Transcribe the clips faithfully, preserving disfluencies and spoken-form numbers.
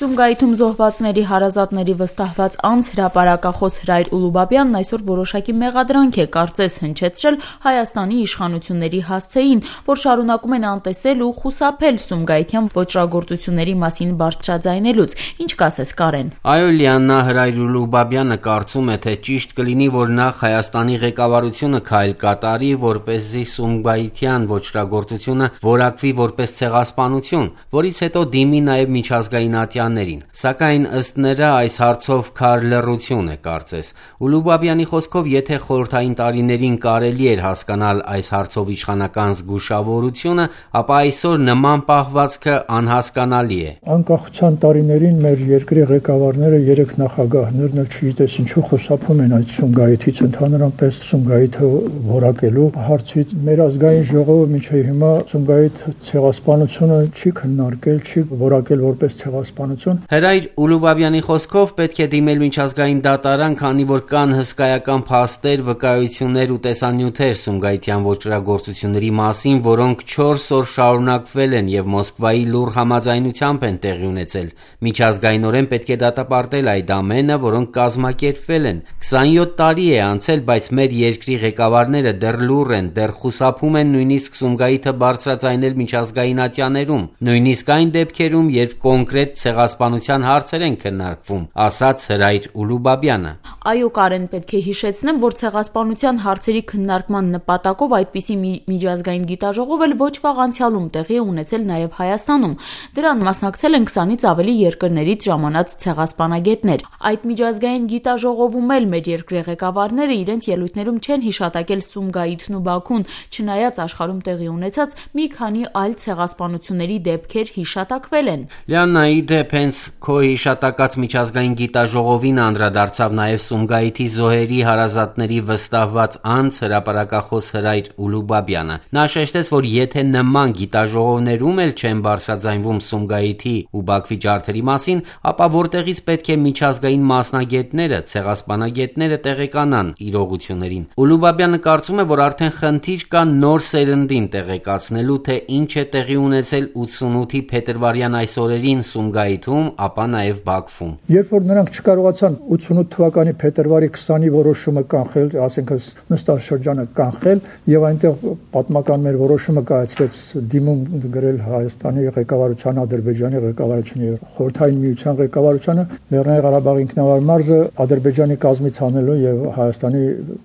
Սումգայիթում զոհվածների հարազատների վստահված անձ հրապարակախոս Հրայր Ուլուբաբյանն այսօր որոշակի մեղադրանք է կարծես հնչեցրել Հայաստանի իշխանությունների հասցեին, որ շարունակում են անտեսել ու խուսափել սումգայիթյան ոճրագործությունների մասին բարձրաձայնելուց։ Ինչ կասես, Կարեն։ Այո, Լիաննա, Հրայր Ուլուբաբյանը կարծում է, թե ճիշտ կլինի, որ նախ Հայաստանի ղեկավարությունը քայլ կատարի, որպեսզի սումգայիթյան ոճրագործությունը որակվի որպես ցեղասպանություն, որից հետո դիմի նաև միջազգային ատյաններին։ Սակայն ըստ նրա այս հարցով քար լռություն է կարծես։ Ուլուբաբյանի խոսքով, եթե խորհրդային տարիներին կարելի էր հասկանալ այս հարցով իշխանական զգուշավորությունը, ապա այսօր նման պահվածքը անհասկանալի է։ Անկախության տարիներին մեր երկրի ղեկավարները, երեք նախագահներն էլ չգիտես ինչու խուսափում են այդ Սումգայիթից, ընդհանրապես Սումգայիթը որակելու հարցից։ Մեր ազգային ժողովը մինչև հիմա Սումգայիթ ցեղասպանությունը չի քննարկել, չի որակել որպես ցեղասպանություն։ Հրայր Ուլուբաբյանի խոսքով պետք է դիմել միջազգային դատարան, քանի որ կան հսկայական փաստեր, վկայություններ ու տեսանյութեր Սումգայիթյան ոճրագործությունների մասին, որոնք չորս օր շարունակվել են եւ Մոսկվայի լուռ համաձայնությամբ են տեղի ունեցել։ Միջազգայինորեն պետք է դատապարտել այդ ամենը, որոնք կազմակերպվել են։ քսանյոթ տարի է անցել, բայց մեր երկրի ղեկավարները դեռ լուռ են, դեռ խուսափում են նույնիսկ Սումգայիթը բարձրաձայնել միջազգային ատյաներում, նույնիսկ այն դեպքերում, երբ կոնկրետ ցեղասպանության հարցեր են քննարկվում, ասաց Հրայր Ուլուբաբյանը։ Այո, Կարեն, պետք է հիշեցնեմ, որ ցեղասպանության հարցերի քննարկման նպատակով այդպիսի մի միջազգային գիտաժողով էլ ոչ վաղ անցյալում տեղի է ունեցել նաև Հայաստանում։ Դրան մասնակցել են քսանից ավելի երկրներից ժամանած ցեղասպանագետներ։ Այդ միջազգային գիտաժողովում էլ մեր երկրի ղեկավարները իրենց ելույթներում չեն հիշատակել Սումգայիթն ու Բաքուն, չնայած աշխարհում տեղի ունեցած մի քանի այլ ցեղասպանությունների դեպքեր հիշատակվել են։ Լիաննա, ի դեպ, հենց քո հիշատակած միջազգային գիտաժողովին անդրադարձավ նաև Սումգայիթի զոհերի հարազատների վստահված անձ հրապարակախոս Հրայր Ուլուբաբյանը։ Նա շեշտեց, որ եթե նման գիտաժողովներում էլ չեն բարձրաձայնվում Սումգայիթի ու Բաքվի ջարդերի մասին, ապա որտեղից պետք է միջազգային մասնագետները, ցեղասպանագետները տեղեկանան իրողություններին։ Ուլուբաբյանը կարծում է, որ արդեն խնդիր կա նոր սերնդին տեղեկացնելու, թե ինչ է տեղի ունեցել ութսունութի փետրվարյան այս օրերին Սումգայիթում, ապա նաև Բաքվում։ Երբ որ նրանք չկարողացան ութսունութ թվականի փետրվարի քսանի որոշումը կանխել, ասենք նստաշրջանը կանխել, եւ այնտեղ պատմական մեր որոշումը կայացվեց դիմում գրել Հայաստանի ղեկավարության, Ադրբեջանի ղեկավարության եւ Խորհրդային Միության ղեկավարությանը Լեռնային Ղարաբաղի ինքնավար մարզը Ադրբեջանի կազմից անելու եւ Հայաստանի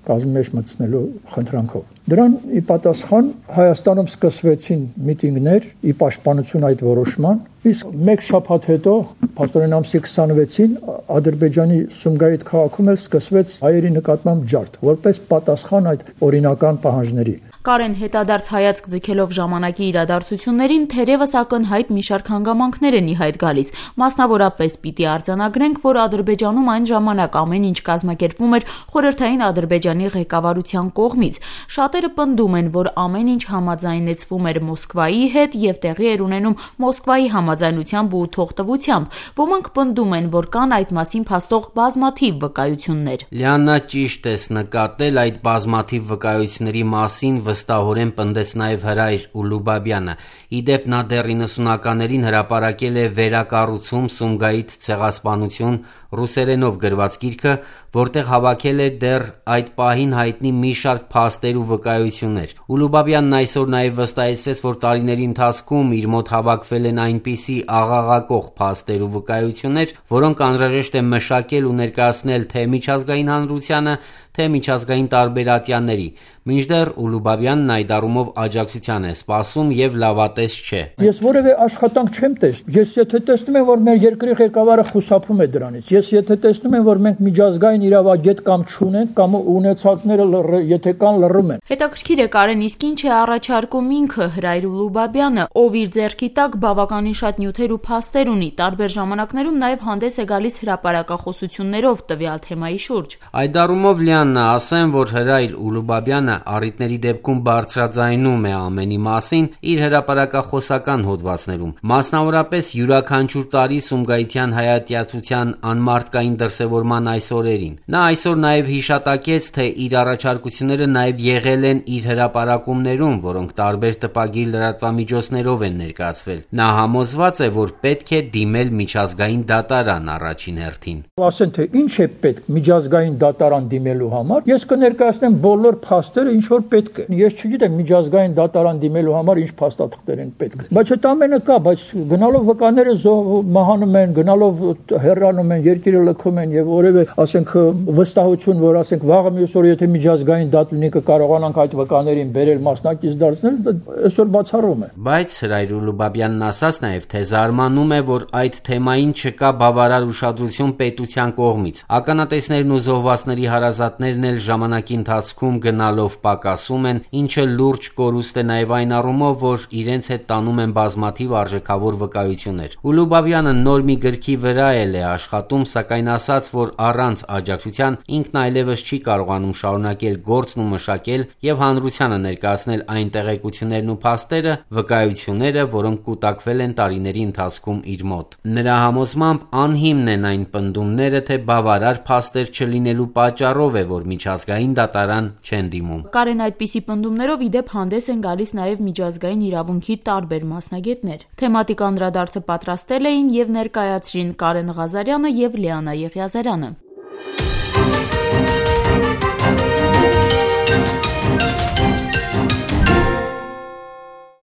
կազմի մեջ մտցնելու խնդրանքով։ Դրան ի պատասխան Հայաստանում սկսվեցին միտինգներ ի պաշտպանություն այդ որոշման, իսկ մեկ շաբաթ հետո, փաստորեն ամսի քսանվեցին, Ադրբեջանի Սումգայիթ քաղաքում էլ սկսվեց հայերի նկատմամբ ջարդ, որպես պատասխան այդ օրինական պահանջների։ Կարեն, հետադարձ հայացք ձգելով ժամանակի իրադարձություններին, թերևս ակնհայտ մի շարք հանգամանքներ են ի հայտ գալիս։ Մասնավորապես պիտի արձանագրենք, որ Ադրբեջանում այն ժամանակ ամեն ինչ կազմակերպվում էր խորհրդային Ադրբեջանի ղեկավարության կողմից։ Շատերը պնդում են, որ ամեն ինչ համաձայնեցվում էր Մոսկվայի հետ եւ տեղի էր ունենում Մոսկվայի համաձայնությամբ ու թողտվությամբ։ Ոմանք պնդում են, որ կան այդ մասին փաստող բազմաթիվ վկայություններ։ Լիաննա, ճիշտ ես նկատել, այդ բազմաթիվ վկայությունների մասին վստահորեն պնդեց նաև Հրայր Ուլուբաբյանը։ Ի դեպ, նա դեռ իննսունականներին հրապարակել է «Վերակառուցում Սումգայիթ ցեղասպանություն» ռուսերենով գրված գիրքը, որտեղ հավաքել է դեռ այդ պահին հայտնի մի շարք փաստեր ու վկայություններ։ Ուլուբաբյանն այսօր նաև վստահեցրեց, որ տարիների ընթացքում իր մոտ հավաքվել են այնպիսի աղաղակող փաստեր ու վկայություններ, որոնք անհրաժեշտ է մշակել ու ներկայացնել թե միջազգային հանրությանը, թե միջազգային տարբեր ատյանների։ Մինչդեռ Ուլուբաբյանն այդ առումով աջակցության է սպասում եւ լավատես չէ։ Ես որևէ աշխատանք չեմ տեսնում։ Ես եթե տեսնում եմ, որ մեր երկրի ղեկավարը խուսափում է դրանից, ես եթե տեսնում եմ, որ մենք միջազգային իրավագետ կամ չունենք, կամ ունեցածները եթե կան լռում են։ Հետաքրքիր է, Կարեն, իսկ ինչ է առաջարկում ինքը Հրայր Ուլուբաբյանը, ով իր ձեռքի տակ բավականին շատ նյութեր ու փաստեր ունի, տարբեր ժամանակներում նաև հանդես է գալիս հրապարակախոսություններով տվյալ թեմայի շուրջ։ Այդ առումով, Լիաննա, ՆԱԱՍ-ն ասեն, որ Հրայր Ուլուբաբյանը առիթների դեպքում բարձրաձայնում է ամենի մասին իր հրապարակախոսական հոդվածներում, մասնավորապես յուրաքանչյուր տարի Սումգայիթյան հայատյացության անմարդկային դրսևորման այս օրերին։ Նա այսօր նաև հիշատակեց, թե իր առաջարկությունները նաև եղել են իր հրապարակումներում, որոնք տարբեր տպագիր լրատվամիջոցներով են ներկայացվել։ Նա համոզված է, որ պետք է դիմել միջազգային դատարան առաջին հերթին։ Ասեն, թե ինչ է պետք միջազգային դատարան դիմելու համար, ես կներկայացնեմ բոլոր փաստերը, ինչ որ պետք է։ Ես չգիտեմ միջազգային դատարան դիմելու համար ինչ փաստաթղթեր են պետք։ Բայց այդ ամենը կա, բայց գնալով վկաները մահանում են, գնալով հեռանում են, երկիրը լքում են եւ որևէ, ասենք, վստահություն, որ ասենք վաղը մյուս օրը եթե միջազգային դատ լինի կկարողանանք այդ վկաներին բերել մասնակից դարձնել, այսօր բացառում է։ Բայց Հրայր Ուլուբաբյանն ասաց նաև, թե զարմանում է, որ այդ թեմային չկա բավարար ուշադրություն պետության կողմից։ Ականատեսներն ու զոհվածների հարազատներն էլ ժամանակի ընթացքում գնալով պակասում են, ինչը լուրջ կորուստ է նաև այն առումով, որ իրենց հետ տանում են բազմաթիվ արժեքավոր վկայություններ։ Ուլուբաբյանը նոր մի գրքի վրա էլ է աշխատում, սակայն ասաց, որ առանց աջակցության ինքն այլևս չի կարողանում շարունակել գործն ու մշակել եւ հանրությանը ներկայացնել այն տեղեկություններն ու փաստերը, վկայությունները, որոնք կուտակվել են տարիների ընթացքում իր մոտ։ Նրա համոզմամբ անհիմն են այն պնդումները, թե բավարար փաստեր չլինելու պատճառով է, որ միջազգային դատարան չեն դիմում։ Կարեն այդպիսի պնդումներով ի դեպ հանդես են գալիս նաև միջազգային իրավունքի տարբեր մասնագետներ։ Թեմատիկ անդրադարձը պատրաստել էին եւ ներկայացրին Կարեն Ղազարյանը եւ Լիանա Եղիազարյանը։